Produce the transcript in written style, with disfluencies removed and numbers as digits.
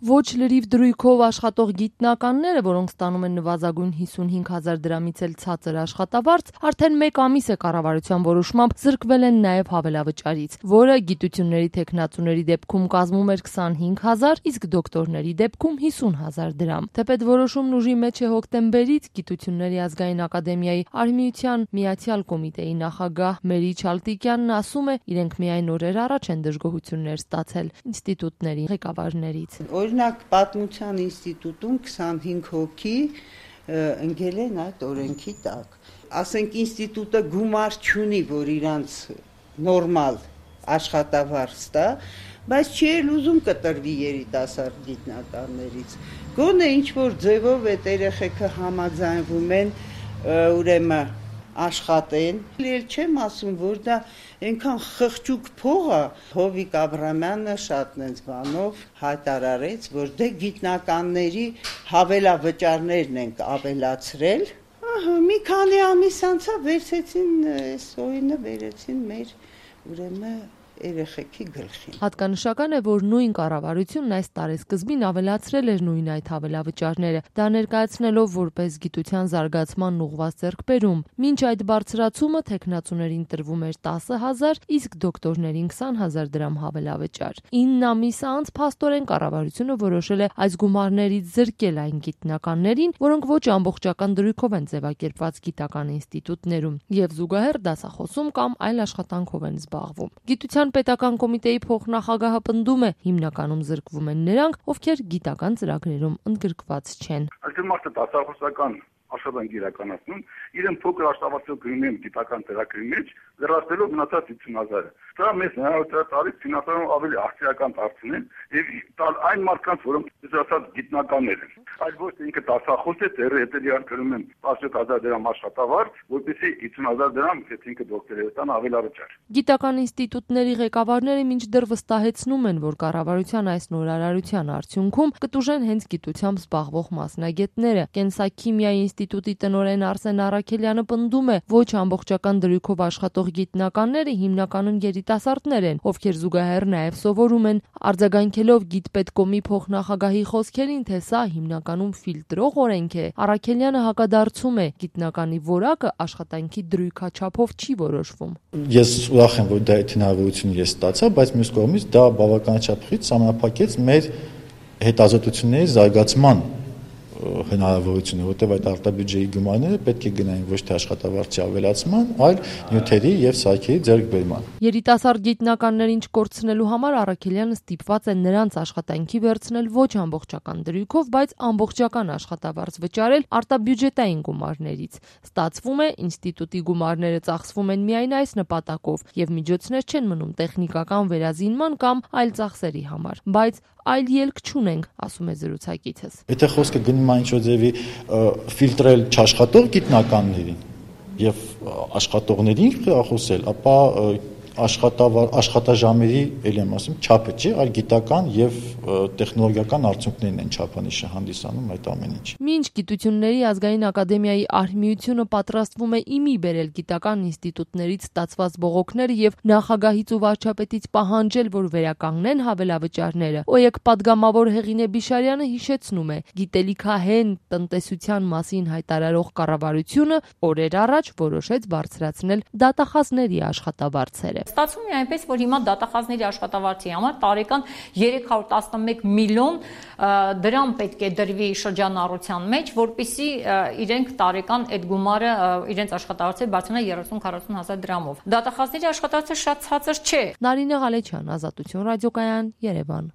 Ոչ լրիվ դրույքով աշխատող գիտնականները, որոնք ստանում են նվազագույն 55,000 դրամից էլ ցածր աշխատավարձ, արդեն 1 ամիս է կառավարության որոշմամբ զրկվել են նաև հավելավճարից, որը գիտությունների թեկնածուների դեպքում կազմում էր 25,000, իսկ դոկտորների դեպքում 50,000 դրամ։ Թեպետ որոշումն ուժի մեջ է հոկտեմբերից, Գիտությունների ազգային ակադեմիայի Արհմիության միացյալ կոմիտեի նախագահ Մերի Չալտիկյանն ասում է, իրենք միայն օրեր առաջ են դժգոհություններ ստացել ինստիտուտների ղեկավարներից։ Օրինակ Պատմության ինստիտուտում 25 հոգի ընկել են այդ օրենքի տակ։ Ասենք ինստիտուտը գումար չունի, որ իրանց նորմալ աշխատավարձ տա, բայց չի էլ ուզում կտրվի երիտասարդ գիտնականներից։ Գոնե ինչ-որ ձևով այդ երեխեքը համաձայնվում են, ուրեմն աշխատեն։ Էլ չեմ ասում, որ դա այնքան խղճուկ փող է, Հովիկ Աբրամյանը շատ նենց բանով հայտարարեց, որ դե գիտնականների հավելավճարներն ենք ավելացրել։ Մի քանի ամիս անցավ, վերցեցին այս օինը, վերեցին մեր ուրեմն երեխեքի գլխին։ Հատկանշական է, որ նույն կառավարությունն այս տարեսկզբին ավելացրել էր նույն այդ հավելավճարները, դա ներկայացնելով որպես գիտության զարգացման ուղղված ձեռքբերում։ Մինչ այդ բարձրացումը թեկնածուներին տրվում էր 10,000, իսկ դոկտորներին 20,000 դրամ հավելավճար։ 9 ամիս անց փաստորեն կառավարությունը որոշել է այս գումարներից զրկել այն գիտնականներին, որոնք ոչ ամբողջական դրույքով են ձևակերպված գիտական ինստիտուտներում եւ զուգահեռ դասախոսում կամ այլ աշխատանքով են զբաղվում։ Գիտության պետական կոմիտեի փոխնախագահը պնդում է, հիմնականում զրկվում են նրանք, ովքեր գիտական ծրագրերում ընդգրկված չեն։ Այսինքն մարդը դասախոսական աշխատանք իրականացնում, իրեն փոքր աշխատավարձով գրում են գիտական ծրագրի մեջ, լրացնելով մնացած 50,000-ը։ Դա մեզ հնարավորություն տալիս ֆինանսավորում ավելի արդիական դարձնել եւ տալ այն մարդկանց, որոնք ասած գիտնականներ են։ Այլ ոչ թե ինքը դասախոս է, հետեւյալ գրում են 17,000 դրամ աշխատավարձ, որպեսզի 50,000 դրամ ինքը դոկտորի ստան ավելավճար։ Գիտական ինստիտուտների ղեկավարները մինչդեռ վստահեցնում են, որ կառավարության այս նորարարության արդյունքում կտուժեն հենց գիտությամբ զբաղվող մասնագետները։ Կենսաքիմիայի ինստիտուտի տնօրեն Արսեն Առաքելյանը պնդում է, ոչ ամբողջական դրույքով աշխատող գիտնականները հիմնականում երիտասարդներ են, ովքեր զուգահեռ նաև սովորում են, արձագանքելով գիտպետկոմի փոխնախագահի խոսքերին, թե սա հիմնականում ֆիլտրող օրենք է։ Առաքելյանը հակադարձում է, գիտնականի որակը աշխատանքի դրույքաչափով չի որոշվում։ Ես ուրախ եմ, որ դա այդ հնարավորությունը ես ստացա, բայց մյուս կողմից դա բավականաչափ խիստ սահմանափակեց մեր հետազոտությունների զարգացման հնարավորությունը, որտեղ այդ արտաբյուջեի գումարները պետք է գնային ոչ թե աշխատավարձի ավելացման, այլ նյութերի եւ սարքերի ձեռքբերման։ Երիտասարդ գիտնականներին չկորցնելու համար Առաքելյանը ստիպված է նրանց աշխատանքի վերցնել ոչ ամբողջական դրույքով, բայց ամբողջական աշխատավարձ վճարել արտաբյուջետային գումարներից։ Ստացվում է, ինստիտուտի գումարները ծախսվում են միայն այս նպատակով եւ միջոցներ չեն մնում տեխնիկական վերազինման կամ այլ ծախսերի համար, բայց այլ ելք չունենք, ասում է զրուցակիցս։ Եթե խոսքը գնում է ինչ-որ ձևի ֆիլտրել չաշխատող գիտնականներին եւ աշխատողներին խոսել, ապա աշխատաժամերի, ելի եմ ասում, չափը չի, այլ գիտական եւ տեխնոլոգիական արդյունքներն են չափանիշը հանդիսանում այդ ամեն ինչ։ Մինչ Գիտությունների ազգային ակադեմիայի Արհմիությունը պատրաստվում է իմի բերել գիտական ինստիտուտներից ստացված բողոքները եւ նախագահից ու վարչապետից պահանջել, որ վերականգնեն հավելավճարները, ՕԵԿ падգամավոր Հեղինե Բիշարյանը հիշեցնում է, գիտելիքահեն տնտեսության մասին հայտարարող կառավարությունը օրեր առաջ որոշեց բարձրացնել դատախազների աշխատավարձերը։ Ստացվում է այնպես, որ հիմա դատախազների աշխատավարձի համար տարեկան 311 միլիոն դրամ պետք է դրվի շրջանառության մեջ, որպեսզի իրենք տարեկան այդ գումարը իրենց աշխատավարձը բարձրանա 30-40,000 դրամով։ Դատախազների աշխատավարձը շատ ցածր չէ։ Նարինե Ղալեչյան, Ազատություն ռադիոկայան, Երևան։